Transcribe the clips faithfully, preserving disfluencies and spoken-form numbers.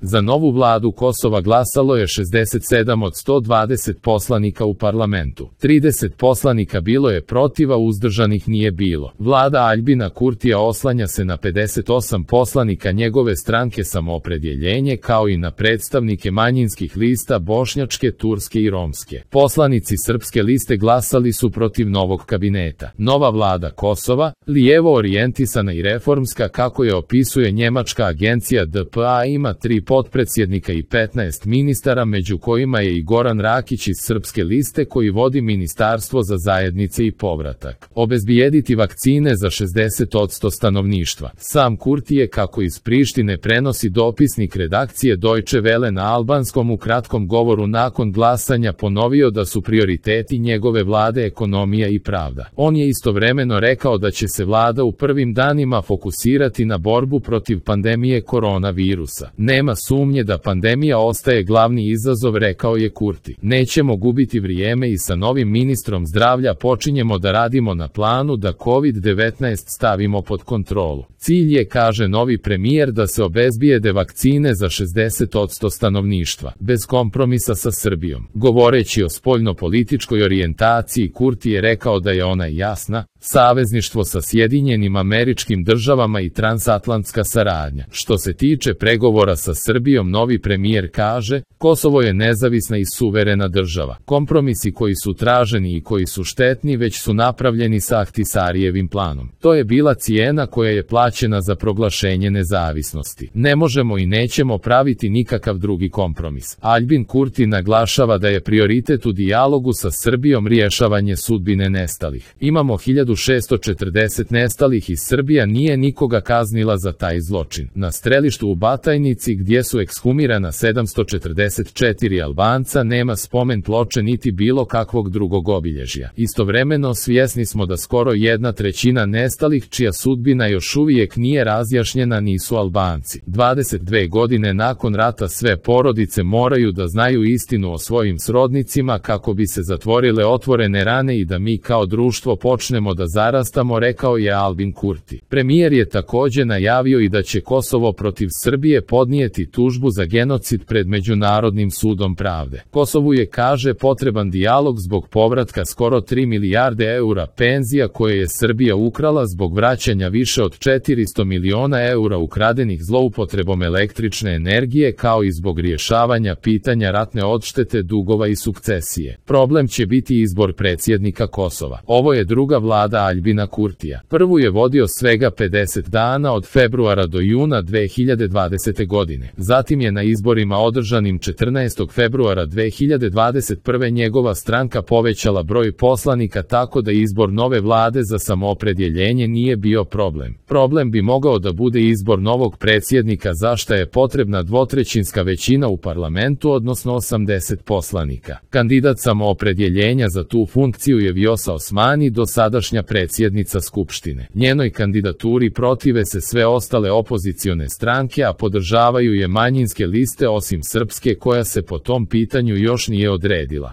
Za novu vladu Kosova glasalo je šezdeset sedam od sto dvadeset poslanika u parlamentu. trideset poslanika bilo je protiv, a uzdržanih nije bilo. Vlada Aljbina Kurtija oslanja se na pedeset osam poslanika njegove stranke Samoopredjeljenje, kao i na predstavnike manjinskih lista bošnjačke, turske i romske. Poslanici Srpske liste glasali su protiv novog kabineta. Nova vlada Kosova, lijevo orijentisana i reformska kako je opisuje njemačka agencija D P A, ima tri potpredsjednika i petnaest ministara, među kojima je i Goran Rakić iz Srpske liste koji vodi Ministarstvo za zajednice i povratak. Obezbijediti vakcine za šezdeset posto stanovništva. Sam Kurti je, kako iz Prištine prenosi dopisnik redakcije Deutsche Welle, na albanskom u kratkom govoru nakon glasanja ponovio da su prioriteti njegove vlade ekonomija i pravda. On je istovremeno rekao da će se vlada u prvim danima fokusirati na borbu protiv pandemije koronavirusa. Nema sumnje da pandemija ostaje glavni izazov, rekao je Kurti. Nećemo gubiti vrijeme i sa novim ministrom zdravlja počinjemo da radimo na planu da kovid devetnaest stavimo pod kontrolu. Cilj je, kaže novi premijer, da se obezbijede vakcine za šezdeset posto stanovništva, bez kompromisa sa Srbijom. Govoreći o spoljnopolitičkoj orijentaciji, Kurti je rekao da je ona jasna: savezništvo sa Sjedinjenim Američkim Državama i transatlantska saradnja. Što se tiče pregovora sa Srbijom, novi premijer kaže: Kosovo je nezavisna i suverena država. Kompromisi koji su traženi i koji su štetni već su napravljeni sa Ahtisarijevim planom. To je bila cijena koja je plaćena za proglašenje nezavisnosti. Ne možemo i nećemo praviti nikakav drugi kompromis. Aljbin Kurti naglašava da je prioritet u dijalogu sa Srbijom rješavanje sudbine nestalih. Imamo hiljadu šesto četrdeset nestalih i Srbija nije nikoga kaznila za taj zločin. Na strelištu u Batajnici, gdje su ekshumirana sedamsto četrdeset četiri Albanca, nema spomen ploče niti bilo kakvog drugog obilježja. Istovremeno svjesni smo da skoro jedna trećina nestalih čija sudbina još uvijek nije razjašnjena nisu Albanci. dvadeset dvije godine nakon rata sve porodice moraju da znaju istinu o svojim srodnicima kako bi se zatvorile otvorene rane i da mi kao društvo počnemo da zarastamo, rekao je Aljbin Kurti. Premijer je također najavio i da će Kosovo protiv Srbije podnijeti tužbu za genocid pred Međunarodnim sudom pravde. Kosovu je, kaže, potreban dijalog zbog povratka skoro tri milijarde eura penzija koje je Srbija ukrala zbog vraćanja više od četiristo miliona eura ukradenih zloupotrebom električne energije, kao i zbog rješavanja pitanja ratne odštete, dugova i sukcesije. Problem će biti izbor predsjednika Kosova. Ovo je druga vlada Aljbina Kurtija. Prvu je vodio svega pedeset dana, od februara do juna dve hiljade dvadesete. godine. Zatim je na izborima održanim četrnaestog februara dve hiljade dvadeset prve njegova stranka povećala broj poslanika tako da izbor nove vlade za Samoopredjeljenje nije bio problem. Problem bi mogao da bude izbor novog predsjednika, za šta je potrebna dvotrećinska većina u parlamentu, odnosno osamdeset poslanika. Kandidat Samoopredjeljenja za tu funkciju je Vjosa Osmani, dosadašnja predsjednica Skupštine. Njenoj kandidaturi protive se sve ostale opozicione stranke, a podržavaju je manjinske liste osim Srpske, koja se po tom pitanju još nije odredila.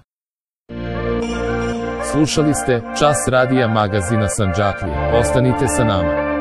Slušali ste Čas radija magazina Sandžaklije. Ostanite sa nama.